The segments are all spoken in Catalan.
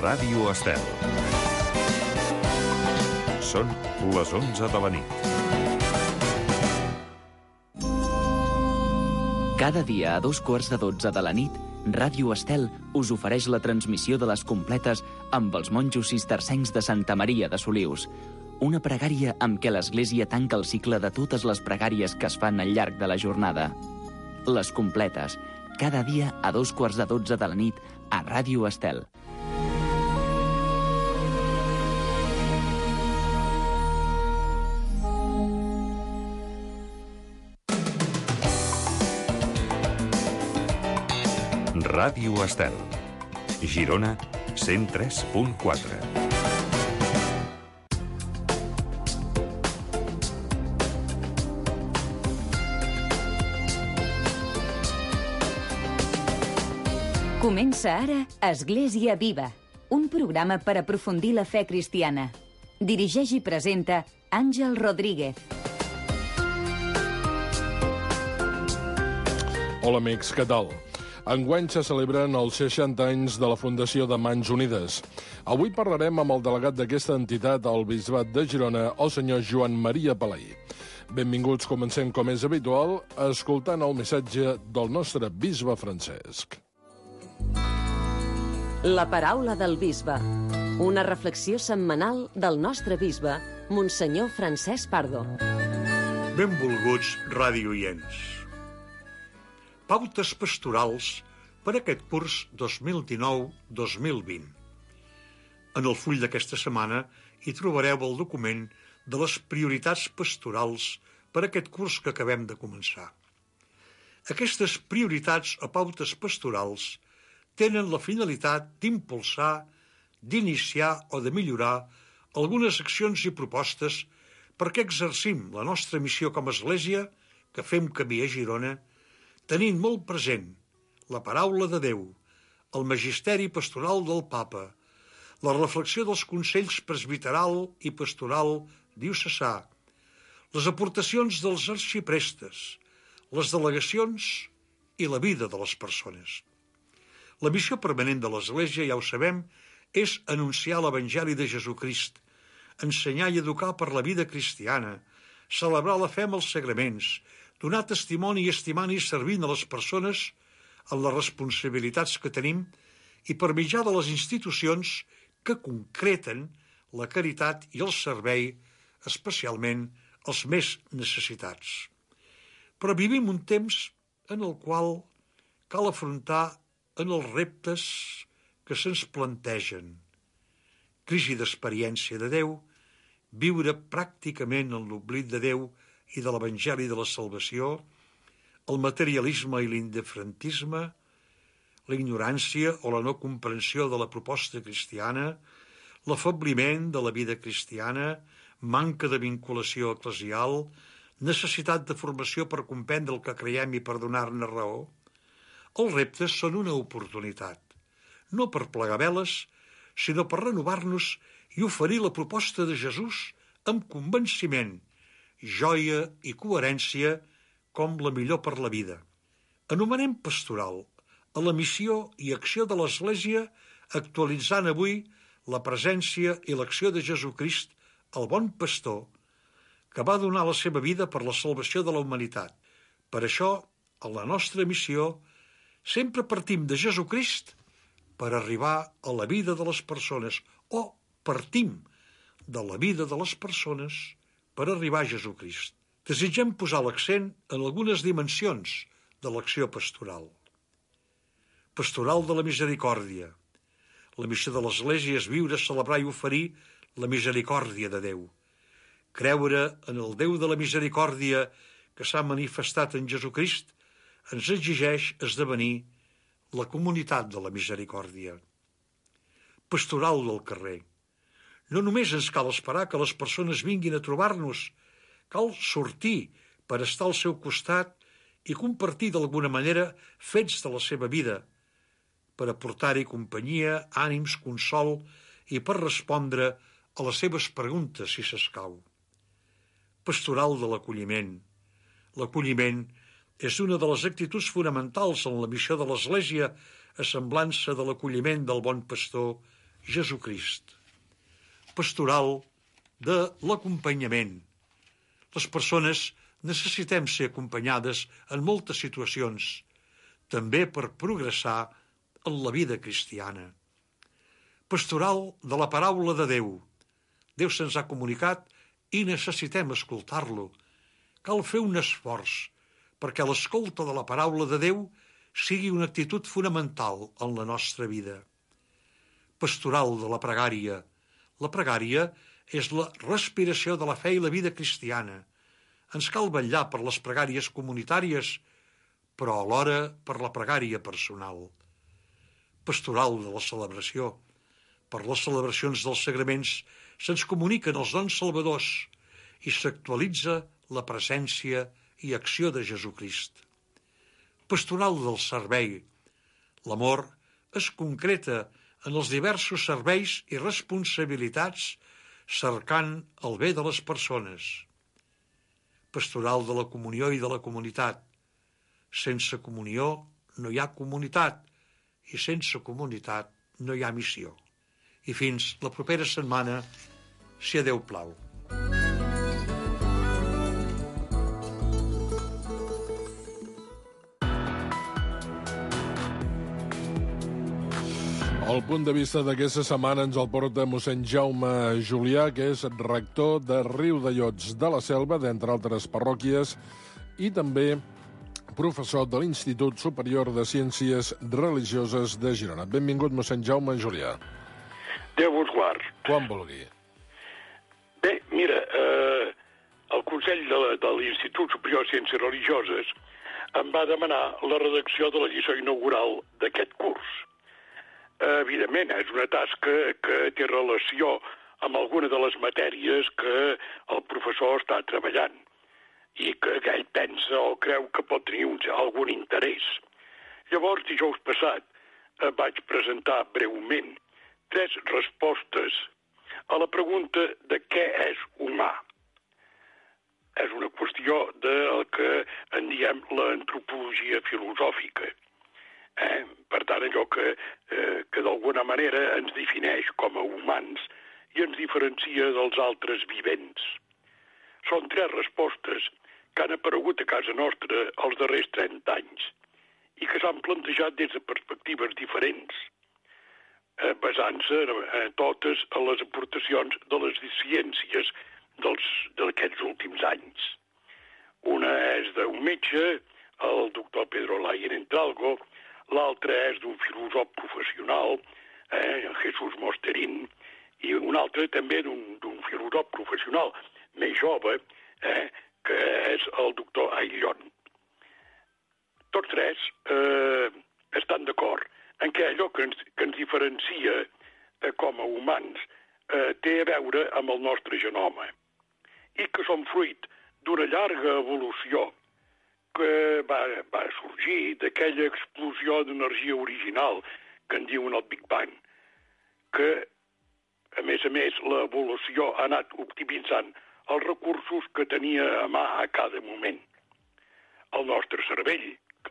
Ràdio Estel. Són les 11 de la nit. Cada dia a 11:45 de la nit, Ràdio Estel us ofereix la transmissió de les completes amb els monjos cistercencs de Santa Maria de Solius. Una pregària amb què l'Església tanca el cicle de totes les pregàries que es fan al llarg de la jornada. Les completes, cada dia a 11:45 de la nit a Ràdio Estel. Ràdio Estel. Girona 103.4. Comença ara Església Viva, un programa per aprofundir la fe cristiana. Dirigeix i presenta Àngel Rodríguez. Hola amics, què tal? Enguany se celebren els 60 anys de la Fundació de Mans Unides. Avui parlarem amb el delegat d'aquesta entitat al Bisbat de Girona, el senyor Joan Maria Palaí. Benvinguts, comencem com és habitual, escoltant el missatge del nostre bisbe Francesc. La paraula del bisbe. Una reflexió setmanal del nostre bisbe, Monsenyor Francesc Pardo. Benvolguts ràdio-oients. Pautes pastorals per aquest curs 2019-2020. En el full d'aquesta setmana hi trobareu el document de les prioritats pastorals per aquest curs que acabem de començar. Aquestes prioritats o pautes pastorals tenen la finalitat d'impulsar, d'iniciar o de millorar algunes accions i propostes perquè exercim la nostra missió com a Església, que fem camí a Girona, tenint molt present la paraula de Déu, el magisteri pastoral del Papa, la reflexió dels consells presbiteral i pastoral diocesà, les aportacions dels arxiprestes, les delegacions i la vida de les persones. La missió permanent de l'Església, ja ho sabem, és anunciar l'Evangeli de Jesucrist, ensenyar i educar per la vida cristiana, celebrar la fe amb els sagraments, donar testimoni i estimant i servint a les persones en les responsabilitats que tenim i per mitjà de les institucions que concreten la caritat i el servei, especialment als més necessitats. Però vivim un temps en el qual cal afrontar en els reptes que se'ns plantegen. Crisi d'experiència de Déu, viure pràcticament en l'oblit de Déu i de l'Evangeli de la Salvació, el materialisme i l'indiferentisme, la ignorància o la no comprensió de la proposta cristiana, l'afebliment de la vida cristiana, manca de vinculació eclesial, necessitat de formació per comprendre el que creiem i per donar-ne raó. Els reptes són una oportunitat, no per plegar veles, sinó per renovar-nos i oferir la proposta de Jesús amb convenciment, joia i coherència com la millor per la vida. Anomenem pastoral a la missió i acció de l'Església, actualitzant avui la presència i l'acció de Jesucrist, el bon pastor, que va donar la seva vida per la salvació de la humanitat. Per això, a la nostra missió, sempre partim de Jesucrist per arribar a la vida de les persones, o partim de la vida de les persones per arribar a Jesucrist. Desitgem posar l'accent en algunes dimensions de l'acció pastoral. Pastoral de la misericòrdia. La missió de l'Església és viure, celebrar i oferir la misericòrdia de Déu. Creure en el Déu de la misericòrdia que s'ha manifestat en Jesucrist ens exigeix esdevenir la comunitat de la misericòrdia. Pastoral del carrer. No només ens cal esperar que les persones vinguin a trobar-nos, cal sortir per estar al seu costat i compartir d'alguna manera fets de la seva vida, per aportar-hi companyia, ànims, consol i per respondre a les seves preguntes si s'escau. Pastoral de l'acolliment. L'acolliment és una de les actituds fonamentals en la missió de l'Església, a semblança de l'acolliment del bon pastor Jesucrist. Pastoral de l'acompanyament. Les persones necessitem ser acompanyades en moltes situacions, també per progressar en la vida cristiana. Pastoral de la paraula de Déu. Déu se'ns ha comunicat i necessitem escoltar-lo. Cal fer un esforç perquè l'escolta de la paraula de Déu sigui una actitud fonamental en la nostra vida. Pastoral de la pregària. La pregària és la respiració de la fe i la vida cristiana. Ens cal vetllar per les pregàries comunitàries, però alhora per la pregària personal. Pastoral de la celebració. Per les celebracions dels sagraments se'ns comuniquen els dons salvadors i s'actualitza la presència i acció de Jesucrist. Pastoral del servei. L'amor es concreta en els diversos serveis i responsabilitats cercant el bé de les persones. Pastoral de la comunió i de la comunitat. Sense comunió no hi ha comunitat i sense comunitat no hi ha missió. I fins la propera setmana, si a Déu plau. El punt de vista d'aquesta setmana ens el porta mossèn Jaume Julià, que és rector de Riudellots de la Selva, d'entre altres parròquies, i també professor de l'Institut Superior de Ciències Religioses de Girona. Benvingut, mossèn Jaume Julià. Déu vos guard. Quan vulgui. Bé, mira, el Consell de l'Institut Superior de Ciències Religioses em va demanar la redacció de la lliçó inaugural d'aquest curs. Evidentment, és una tasca que té relació amb alguna de les matèries que el professor està treballant i que ell pensa o creu que pot tenir algun interès. Llavors, dijous passat, vaig presentar breument 3 respostes a la pregunta de què és humà. És una qüestió del que en diem l'antropologia filosòfica. Per tant, allò que d'alguna manera ens defineix com a humans i ens diferencia dels altres vivents. Són 3 respostes que han aparegut a casa nostra els darrers 30 anys i que s'han plantejat des de perspectives diferents, basant-se totes en les aportacions de les ciències d'aquests últims anys. Una és d'un metge, el doctor Pedro Layer Entralgo, l'altre és d'un filòsof professional, Jesús Mosterín, i un altre també d'un filòsof professional més jove, que és el doctor Ayllón. Tots 3 estan d'acord en què allò que ens diferencia com a humans té a veure amb el nostre genoma i que som fruit d'una llarga evolució que va sorgir d'aquella explosió d'energia original que en diuen el Big Bang, que, a més, l'evolució ha anat optimitzant els recursos que tenia a mà a cada moment. El nostre cervell,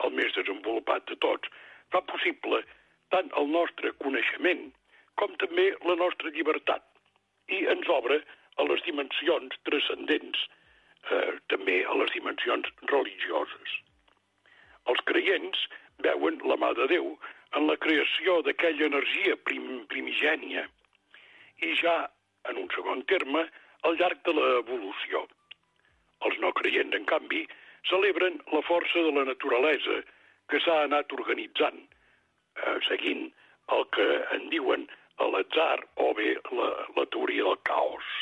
el més desenvolupat de tots, fa possible tant el nostre coneixement com també la nostra llibertat i ens obre a les dimensions transcendents, també a les dimensions religioses. Els creients veuen la mà de Déu en la creació d'aquella energia primigènia i ja, en un segon terme, al llarg de l'evolució. Els no creients, en canvi, celebren la força de la naturalesa que s'ha anat organitzant, seguint el que en diuen l'atzar o bé la teoria del caos.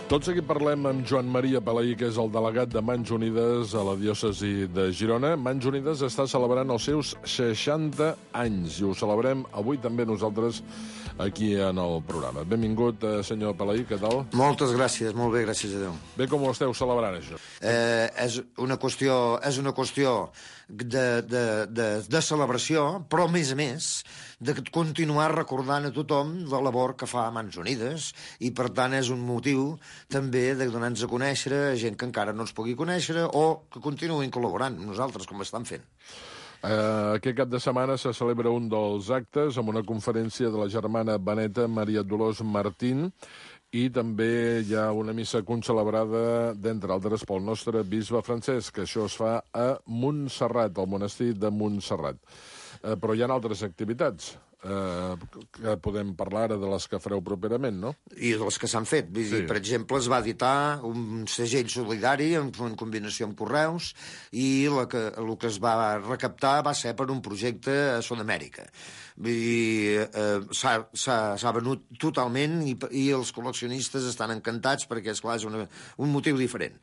Tot seguit parlem amb Joan Maria Palaí, que és el delegat de Mans Unides a la diòcesi de Girona. Mans Unides està celebrant els seus 60 anys i ho celebrem avui també nosaltres aquí en el programa. Benvingut, senyor Palaí, què tal? Moltes gràcies, molt bé, gràcies a Déu. Bé, com ho esteu celebrant, això? És una qüestió de celebració, però, a més, de continuar recordant a tothom la labor que fa Mans Unides, i, per tant, és un motiu també de donar-nos a conèixer a gent que encara no ens pugui conèixer o que continuïn col·laborant amb nosaltres, com estan fent. Aquest cap de setmana se celebra un dels actes amb una conferència de la germana beneta Maria Dolors Martín, i també hi ha una missa concelebrada, d'entre altres, pel nostre bisbe Francesc, que això es fa a Montserrat, al monestir de Montserrat. Però hi ha altres activitats que podem parlar ara de les que fareu properament, no? I de les que s'han fet. Vull dir, per exemple, es va editar un segell solidari en combinació amb correus, i el que es va recaptar va ser per un projecte a Sud-amèrica. Vull dir, s'ha venut totalment, i els col·leccionistes estan encantats perquè, esclar, és un motiu diferent.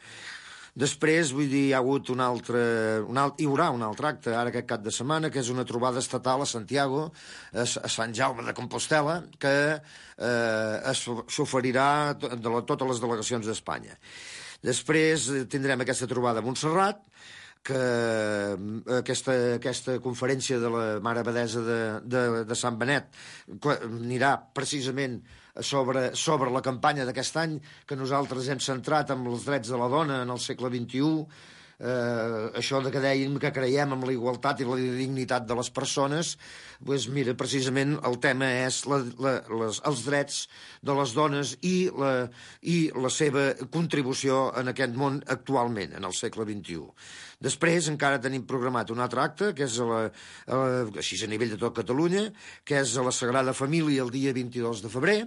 Després, vull dir, hi ha hagut hi haurà un altre acte ara aquest cap de setmana, que és una trobada estatal a Santiago, a Sant Jaume de Compostel·la, que s'oferirà de totes les delegacions d'Espanya. Després tindrem aquesta trobada a Montserrat, que aquesta conferència de la Mare Abadessa de Sant Benet anirà precisament sobre la campanya d'aquest any, que nosaltres hem centrat en els drets de la dona en el segle XXI, això que dèiem que creiem en la igualtat i la dignitat de les persones. Doncs mira, precisament el tema és els drets de les dones i la seva contribució en aquest món actualment, en el segle XXI. Després encara tenim programat un altre acte, que és així a nivell de tot Catalunya, que és a la Sagrada Família el dia 22 de febrer,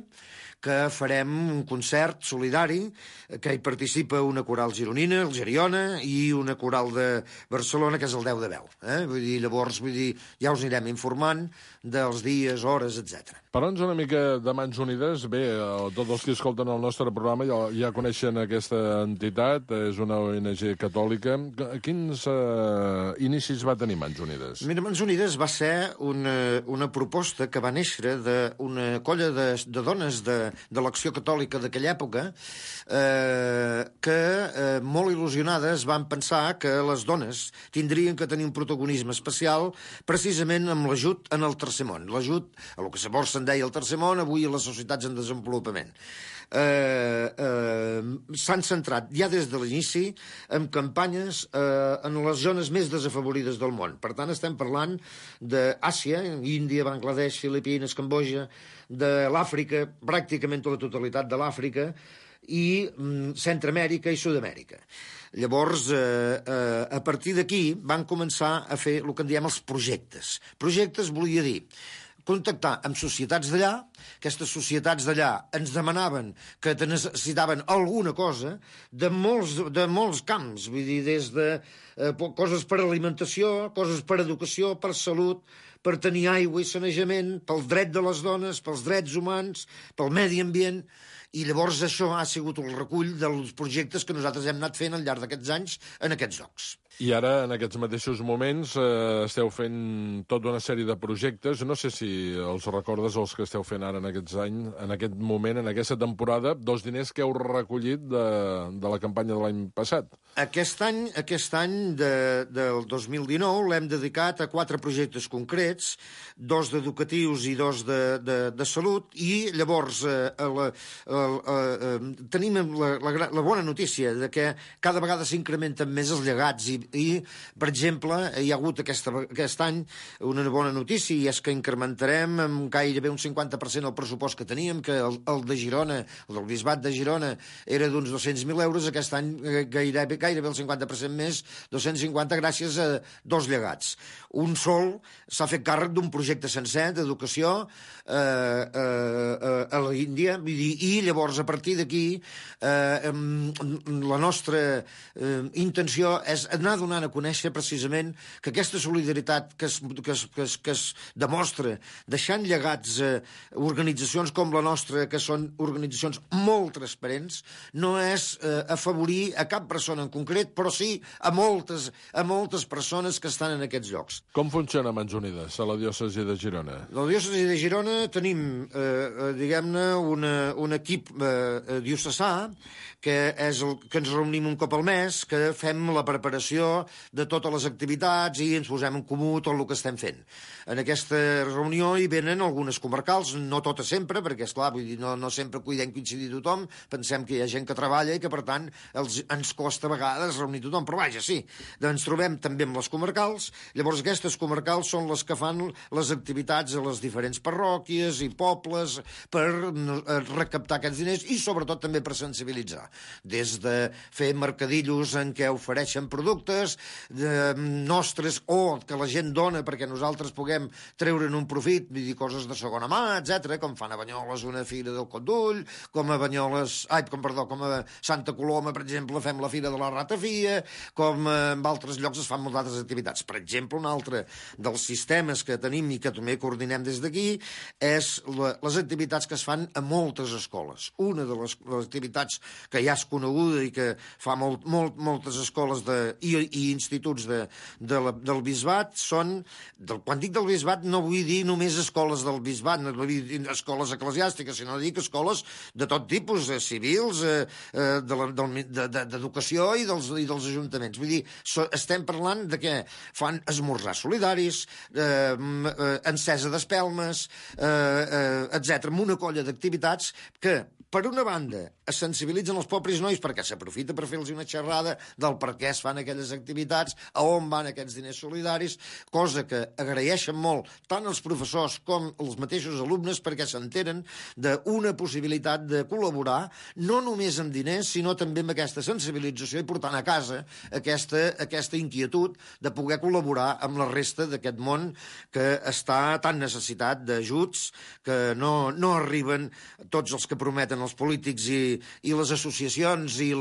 que farem un concert solidari, que hi participa una coral gironina, el Geriona, i una coral de Barcelona, que és el 10 de Veu. Vull dir, llavors, ja us anirem informant dels dies, hores, etc. Parla'ns una mica de Mans Unides. Bé, tots els que escolten el nostre programa ja coneixen aquesta entitat, és una ONG catòlica. Quins inicis va tenir Mans Unides? Mira, Mans Unides va ser una proposta que va néixer d'una colla de dones de l'Acció Catòlica d'aquella època, que molt il·lusionades van pensar que les dones tindrien que tenir un protagonisme especial precisament amb l'ajut en el tercer món, l'ajut a el que llavors se'n deia el tercer món, avui a les societats en desenvolupament. S'han centrat ja des de l'inici en campanyes en les zones més desafavorides del món. Per tant, estem parlant d'Àsia, Índia, Bangladesh, Filipines, Cambodja, de l'Àfrica, pràcticament la totalitat de l'Àfrica, i Centreamèrica i Sud-amèrica. Llavors, a partir d'aquí van començar a fer el que en diem els projectes. Projectes volia dir contactar amb societats d'allà. Aquestes societats d'allà ens demanaven que necessitaven alguna cosa de molts camps, vull dir, des de coses per alimentació, coses per educació, per salut, per tenir aigua i sanejament, pel dret de les dones, pels drets humans, pel medi ambient. I llavors això ha sigut el recull dels projectes que nosaltres hem anat fent al llarg d'aquests anys en aquests llocs. I ara, en aquests mateixos moments, esteu fent tota una sèrie de projectes. No sé si els recordes, els que esteu fent ara en aquests anys, en aquest moment, en aquesta temporada, dels diners que heu recollit de la campanya de l'any passat. Aquest any del 2019 l'hem dedicat a 4 projectes concrets, 2 d'educatius i 2 de salut, i llavors tenim la bona notícia de que cada vegada s'incrementen més els llegats i, per exemple, hi ha hagut aquest any una bona notícia, i és que incrementarem amb gairebé un 50% el pressupost que teníem, que el de Girona, el del Bisbat de Girona, era d'uns 200.000 euros, aquest any gairebé el 50% més, 250, gràcies a 2 llegats. Un sol s'ha fet càrrec d'un projecte sencer d'educació a l'Índia, i llavors, a partir d'aquí, la nostra intenció és anar donant a conèixer precisament que aquesta solidaritat que es demostra deixant llegats organitzacions com la nostra, que són organitzacions molt transparents, no és afavorir a cap persona en concret, però sí a moltes persones que estan en aquests llocs. Com funciona Mans Unides a la diòcesi de Girona? A la diòcesi de Girona tenim, diguem-ne, un equip diocesà que és el que ens reunim un cop al mes, que fem la preparació de totes les activitats i ens posem en comú tot el que estem fent. En aquesta reunió hi venen algunes comarcals, no totes sempre, perquè, esclar, vull dir, no sempre podem coincidir tothom, pensem que hi ha gent que treballa i que, per tant, ens costa a vegades reunir tothom, però vaja, sí, ens trobem també amb les comarcals, llavors aquestes comarcals són les que fan les activitats a les diferents parròquies i pobles per recaptar aquests diners i, sobretot, també per sensibilitzar. Des de fer mercadillos en què ofereixen productes nostres o que la gent dona perquè nosaltres puguem treure'n un profit, vull dir, coses de segona mà, etc, com fan a Banyoles una fira del Cot d'Ull, com a Santa Coloma, per exemple, fem la fira de la ratafia, com en altres llocs es fan moltes altres activitats. Per exemple, un altre dels sistemes que tenim i que també coordinem des d'aquí és les activitats que es fan a moltes escoles. Una de les activitats que ja és coneguda i que fa moltes escoles i instituts del bisbat són, quan dic del bisbat no vull dir només escoles del bisbat, no vull dir escoles eclesiàstiques, sinó dic escoles de tot tipus, civils, d'educació i dels ajuntaments. Vull dir, estem parlant de què fan esmorzars solidaris, encesa d'espelmes, etc, amb una colla d'activitats que, per una banda, es sensibilitzen els pobres nois perquè s'aprofita per fer-los una xerrada del per què es fan aquelles activitats, a on van aquests diners solidaris, cosa que agraeixen molt tant els professors com els mateixos alumnes perquè s'enteren d'una possibilitat de col·laborar no només amb diners, sinó també amb aquesta sensibilització i portant a casa aquesta inquietud de poder col·laborar amb la resta d'aquest món que està tan necessitat d'ajuts, que no arriben tots els que prometen els polítics i les associacions i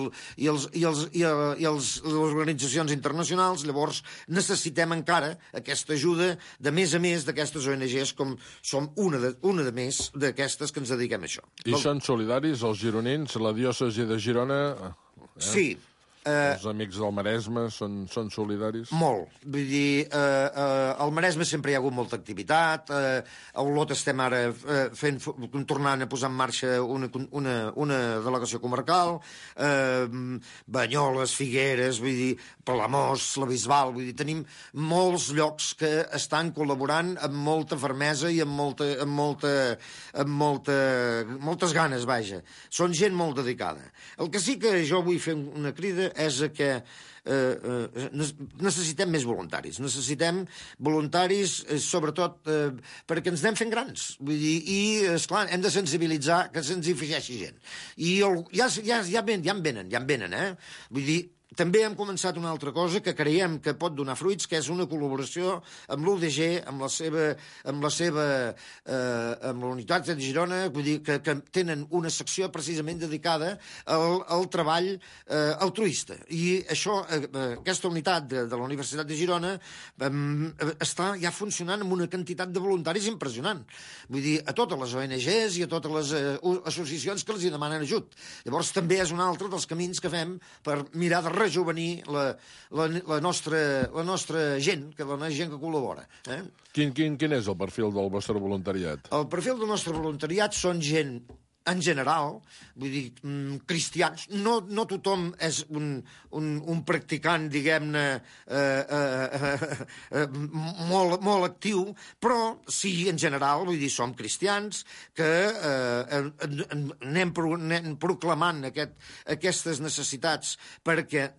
les organitzacions internacionals. Llavors necessitem encara aquesta ajuda de més a més d'aquestes ONGs, com som una de més d'aquestes que ens dediquem a això. I són solidaris els gironins, la diòcesi de Girona? Sí. Els amics del Maresme són solidaris? Molt. Vull dir, al Maresme sempre hi ha hagut molta activitat, a Olot estem ara tornant a posar en marxa una delegació comarcal, Banyoles, Figueres, vull dir, Palamós, la Bisbal, vull dir, tenim molts llocs que estan col·laborant amb molta fermesa i amb moltes ganes, vaja. Són gent molt dedicada. El que sí que jo vull fer una crida és que necessitem més voluntaris. Necessitem voluntaris, sobretot, perquè ens anem fent grans. Vull dir, i, esclar, hem de sensibilitzar que se'ns hi afegeixi gent. I ja en venen, eh? Vull dir, també hem començat una altra cosa que creiem que pot donar fruits, que és una col·laboració amb l'UDG, amb la Unitat de Girona, vull dir, que tenen una secció precisament dedicada al treball altruista. I això, aquesta unitat de la Universitat de Girona està ja funcionant amb una quantitat de voluntaris impressionant. Vull dir, a totes les ONGs i a totes les associacions que els hi demanen ajut. Llavors també és un altre dels camins que fem per mirar de rejuvenir la nostra gent, la gent que col·labora. Quin és el perfil del vostre voluntariat? El perfil del nostre voluntariat són gent, en general, vull dir, cristians. No tothom és un practicant, diguem-ne, molt actiu, però sí, en general, vull dir, som cristians que anem proclamant aquestes necessitats perquè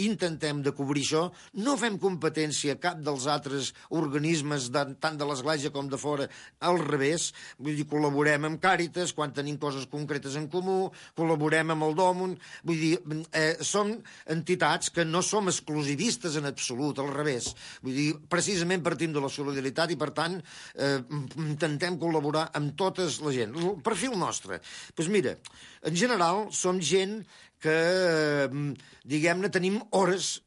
intentem de cobrir això. No fem competència a cap dels altres organismes, tant de l'Església com de fora, al revés. Vull dir, col·laborem amb Càritas quan tenim coses concretes en comú, col·laborem amb el Dòmun, vull dir, som entitats que no som exclusivistes en absolut, al revés. Vull dir, precisament partim de la solidaritat i, per tant, intentem col·laborar amb tota la gent. El perfil nostre, doncs mira, en general som gent que, diguem-ne, tenim hores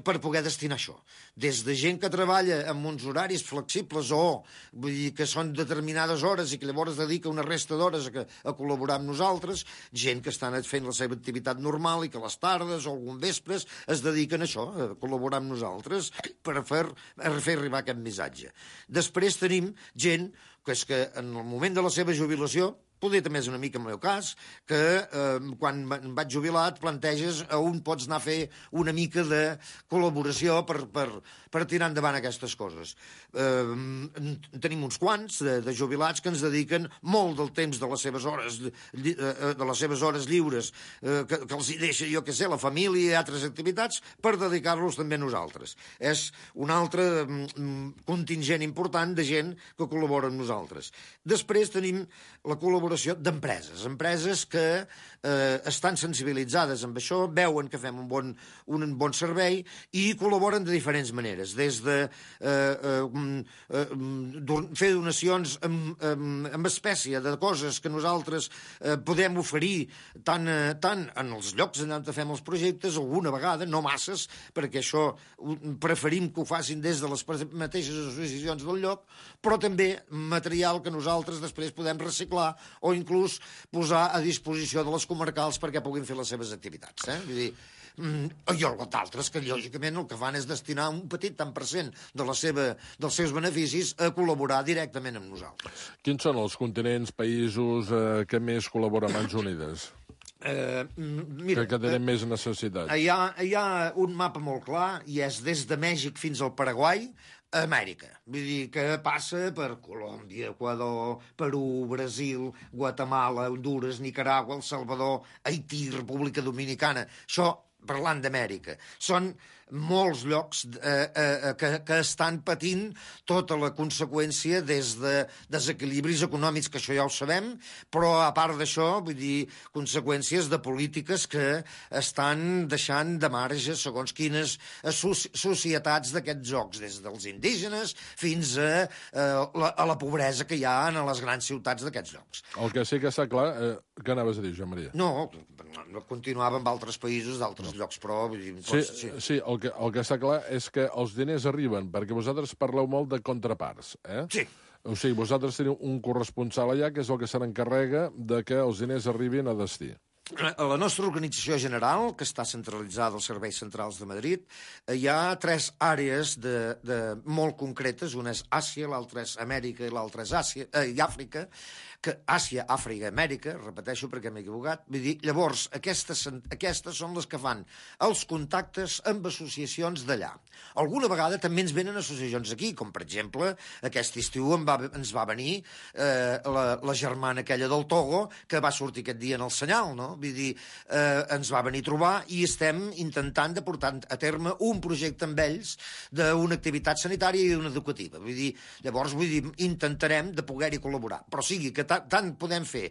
per poder destinar això. Des de gent que treballa amb uns horaris flexibles o vull dir que són determinades hores i que llavors dedica una resta d'hores a col·laborar amb nosaltres, gent que estan fent la seva activitat normal i que a les tardes o algun vespres es dediquen a això, a col·laborar amb nosaltres per fer arribar aquest missatge. Després tenim gent que és que en el moment de la seva jubilació, poder també és una mica el meu cas, que quan em vaig jubilar et planteges a on pots anar a fer una mica de col·laboració per tirar endavant aquestes coses. Tenim uns quants de jubilats que ens dediquen molt del temps de les seves hores lliures, que els hi deixa, jo què sé, la família i altres activitats, per dedicar-los també a nosaltres. És un altre contingent important de gent que col·labora amb nosaltres. Després tenim la col·laboració d'empreses que estan sensibilitzades amb això, veuen que fem un bon servei i col·laboren de diferents maneres, des de fer donacions amb espècie de coses que nosaltres podem oferir tant en els llocs on fem els projectes, alguna vegada, no masses, perquè això preferim que ho facin des de les mateixes associacions del lloc, però també material que nosaltres després podem reciclar o inclús posar a disposició de les comarcals perquè puguin fer les seves activitats. Vull dir, i d'altres que lògicament el que fan és destinar un petit tant per cent dels seus beneficis a col·laborar directament amb nosaltres. Quins són els continents, països que més col·laboren amb Mans Unides? Mira, que tenen més necessitat. Hi ha un mapa molt clar i és des de Mèxic fins al Paraguai, a Amèrica. Vull dir que passa per Colòmbia, Equador, Perú, Brasil, Guatemala, Honduras, Nicaragua, El Salvador, Haití, República Dominicana. Això parlant d'Amèrica. Són molts llocs que estan patint tota la conseqüència des de desequilibris econòmics, que això ja ho sabem, però a part d'això, vull dir, conseqüències de polítiques que estan deixant de marge segons quines societats d'aquests jocs, des dels indígenes fins a la pobresa que hi ha en les grans ciutats d'aquests llocs. El que sí que està clar... Què anaves a dir, Joan Maria? No, continuava amb altres països d'altres llocs, però... Sí, el que està clar és que els diners arriben, perquè vosaltres parleu molt de contraparts, Sí. O sigui, vosaltres teniu un corresponsal allà que és el que se n'encarrega de que els diners arribin a destí. A la nostra organització general, que està centralitzada als serveis centrals de Madrid, hi ha 3 àrees molt concretes. Una és Àsia, l'altra és Amèrica i l'altra és Àfrica. Àsia, Àfrica, Amèrica, repeteixo perquè m'he equivocat. Vull dir, llavors, aquestes són les que fan els contactes amb associacions d'allà. Alguna vegada també ens venen associacions aquí, com per exemple, aquest estiu ens va venir la germana aquella del Togo, que va sortir aquest dia en el Senyal, no? Vull dir, ens va venir a trobar i estem intentant de portar a terme un projecte amb ells d'una activitat sanitària i una educativa. Llavors, intentarem de poder-hi col·laborar. Però sigui que tant podem fer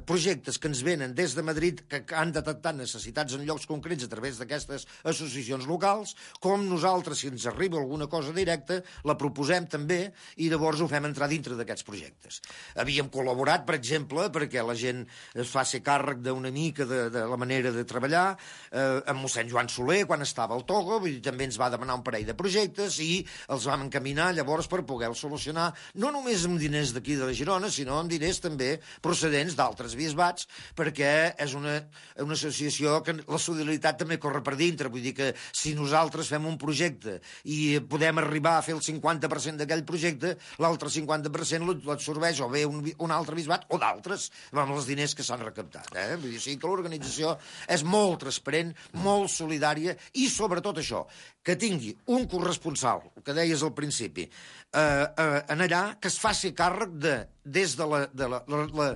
projectes que ens venen des de Madrid, que han detectat necessitats en llocs concrets a través d'aquestes associacions locals, com nosaltres, si ens arriba alguna cosa directa, la proposem també i llavors ho fem entrar dintre d'aquests projectes. Havíem col·laborat, per exemple, perquè la gent es faci càrrec una mica de la manera de treballar amb mossèn Joan Soler quan estava al Togo, també ens va demanar un parell de projectes i els vam encaminar llavors per poder-los solucionar, no només amb diners d'aquí de la Girona, sinó amb diners també procedents d'altres bisbats, perquè és una associació que la solidaritat també corre per dintre. Vull dir que si nosaltres fem un projecte i podem arribar a fer el 50% d'aquell projecte, l'altre 50% l'absorbeix o bé un altre bisbat o d'altres amb els diners que s'han recaptat. Vull dir, sí que l'organització és molt transparent, molt solidària i sobretot això, que tingui un corresponsal, el que deies al principi, en allà, que es faci càrrec des de la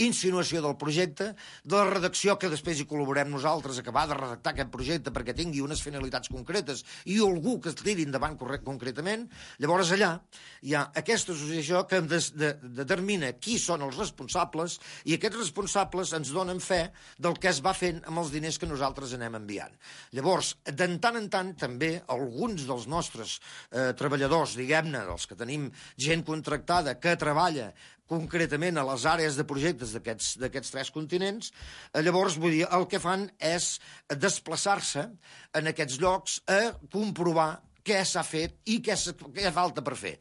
insinuació del projecte, de la redacció, que després hi col·laborem nosaltres, acabar de redactar aquest projecte perquè tingui unes finalitats concretes i algú que es tiri endavant concretament. Llavors allà hi ha aquesta associació que determina qui són els responsables i aquests responsables ens donen fe del que es va fent amb els diners que nosaltres anem enviant. Llavors, de tant en tant, també alguns dels nostres treballadors, diguem-ne, dels que tenim gent contractada que treballa concretament a les àrees de projectes d'aquests 3 continents, llavors, vull dir, el que fan és desplaçar-se en aquests llocs a comprovar què s'ha fet i què falta per fer.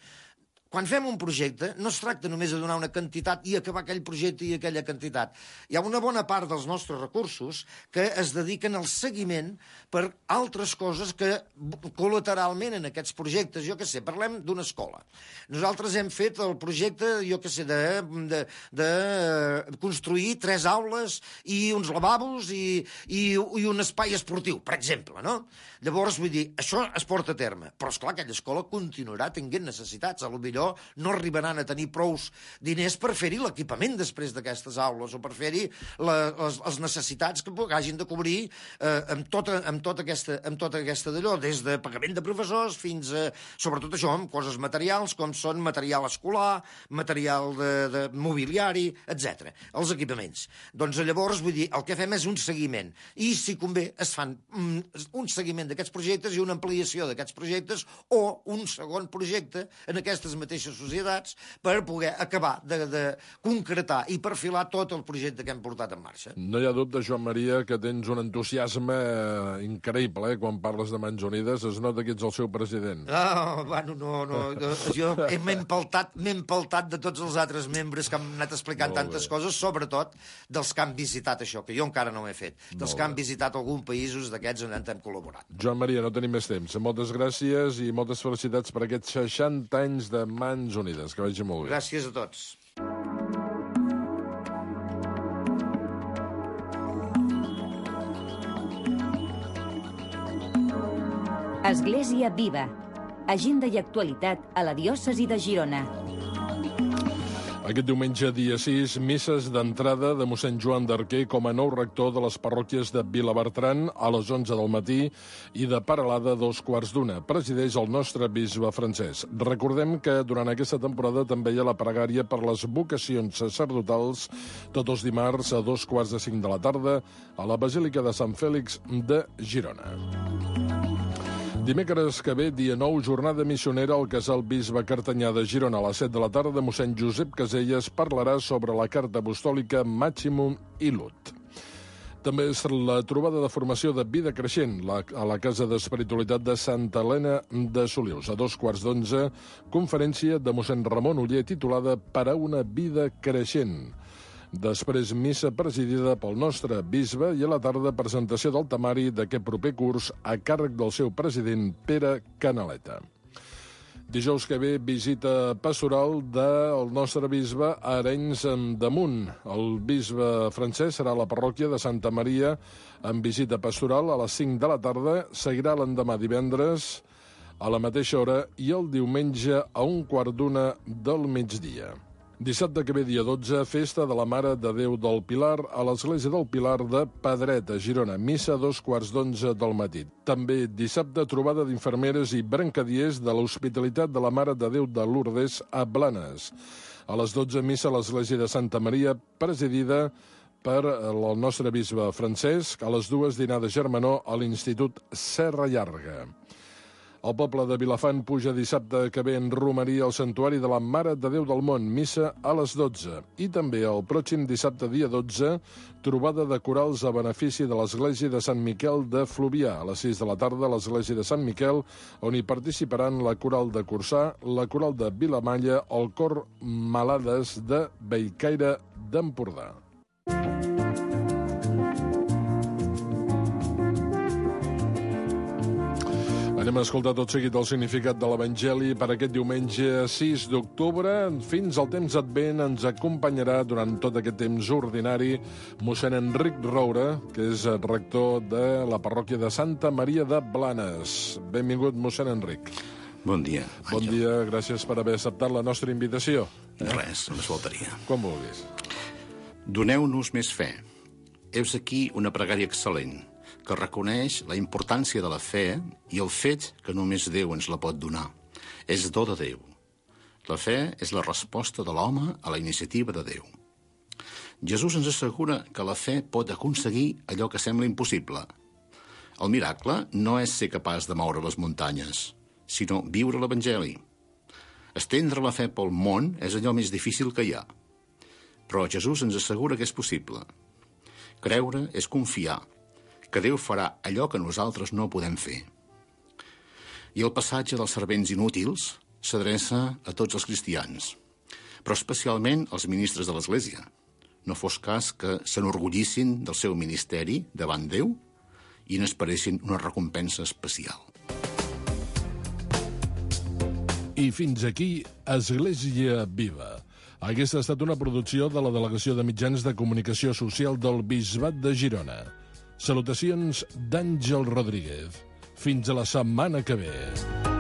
Quan fem un projecte, no es tracta només de donar una quantitat i acabar aquell projecte i aquella quantitat. Hi ha una bona part dels nostres recursos que es dediquen al seguiment per altres coses que col·lateralment en aquests projectes, jo què sé, parlem d'una escola. Nosaltres hem fet el projecte, jo què sé, de construir 3 aules i uns lavabos i un espai esportiu, per exemple, no? Llavors, vull dir, això es porta a terme. Però, esclar, aquella escola continuarà tenint necessitats. Potser no arribaran a tenir prous diners per fer-hi l'equipament després d'aquestes aules o per fer-hi les necessitats que hagin de cobrir amb tota aquesta d'allò, des de pagament de professors fins a, sobretot això, amb coses materials com són material escolar, material de mobiliari, etc. Els equipaments. Doncs llavors, vull dir, el que fem és un seguiment i, si convé, es fan un seguiment d'aquests projectes i una ampliació d'aquests projectes o un segon projecte en aquestes mateixes societats per poder acabar de concretar i perfilar tot el projecte que hem portat en marxa. No hi ha dubte, Joan Maria, que tens un entusiasme increïble, quan parles de Mans Unides. Es nota que ets el seu president. Bueno, no. Jo m'he empaltat de tots els altres membres que han anat explicant tantes coses, sobretot dels que han visitat això, que jo encara no ho he fet. Dels que han visitat alguns països d'aquests on hem col·laborat. Joan Maria, no tenim més temps. Moltes gràcies i moltes felicitats per aquests 60 anys de Mans Unides. Que vagi molt bé. Gràcies a tots. Església Viva. Agenda i actualitat a la diòcesi de Girona. Aquest diumenge, dia 6, misses d'entrada de mossèn Joan d'Arquer com a nou rector de les parròquies de Vilabertran a les 11 del matí i de Peralada a 2:15. Presideix el nostre bisbe francès. Recordem que durant aquesta temporada també hi ha la pregària per les vocacions sacerdotals tots els dimarts a 4:45 de la tarda a la Basílica de Sant Fèlix de Girona. Dimecres que ve, dia 9, jornada missionera al Casal Bisbe Cartanyà de Girona. A les 7 de la tarda, mossèn Josep Caselles parlarà sobre la carta apostòlica Maximum Illud. També és la trobada de formació de Vida Creixent a la Casa d'Espiritualitat de Santa Helena de Solius. A 2:15, conferència de mossèn Ramon Oller titulada Per a una vida creixent. Després, missa presidida pel nostre bisbe i a la tarda presentació del temari d'aquest proper curs a càrrec del seu president Pere Canaleta. Dijous que ve, visita pastoral del nostre bisbe a Arenys de Munt. El bisbe francès serà a la parròquia de Santa Maria amb visita pastoral a les 5 de la tarda. Seguirà l'endemà divendres a la mateixa hora i el diumenge a 1:15 del migdia. Dissabte que ve, dia 12, festa de la Mare de Déu del Pilar a l'Església del Pilar de Pedret, a Girona. Missa a 2:15 del matí. També dissabte, trobada d'infermeres i brancadiers de l'Hospitalitat de la Mare de Déu de Lourdes a Blanes. A les 12, missa a l'Església de Santa Maria, presidida per el nostre bisbe Francesc. A les 2, dinar de germanor a l'Institut Serra Llarga. El poble de Vilafant puja dissabte que ve en romeria al Santuari de la Mare de Déu del Món, missa a les 12. I també el pròxim dissabte, dia 12, trobada de corals a benefici de l'Església de Sant Miquel de Fluvià. A les 6 de la tarda, a l'Església de Sant Miquel, on hi participaran la coral de Corçà, la coral de Vilamalla o el cor Malades de Bellcaire d'Empordà. Anem a escoltar tot seguit el significat de l'Evangeli per aquest diumenge 6 d'octubre. Fins al temps advent ens acompanyarà durant tot aquest temps ordinari mossèn Enric Roura, que és rector de la parròquia de Santa Maria de Blanes. Benvingut, mossèn Enric. Bon dia. Bon dia, gràcies per haver acceptat la nostra invitació. Res, només faltaria. Quan vulguis. Doneu-nos més fe. Heus aquí una pregària excel·lent, que reconeix la importància de la fe i el fet que només Déu ens la pot donar. És do de Déu. La fe és la resposta de l'home a la iniciativa de Déu. Jesús ens assegura que la fe pot aconseguir allò que sembla impossible. El miracle no és ser capaç de moure les muntanyes, sinó viure l'Evangeli. Estendre la fe pel món és allò més difícil que hi ha. Però Jesús ens assegura que és possible. Creure és confiar, que Déu farà allò que nosaltres no podem fer. I el passatge dels servents inútils s'adreça a tots els cristians, però especialment als ministres de l'Església. No fos cas que s'enorgullissin del seu ministeri davant Déu i n'esperessin una recompensa especial. I fins aquí Església Viva. Aquesta ha estat una producció de la Delegació de Mitjans de Comunicació Social del Bisbat de Girona. Salutacions d'Àngel Rodríguez. Fins a la setmana que ve.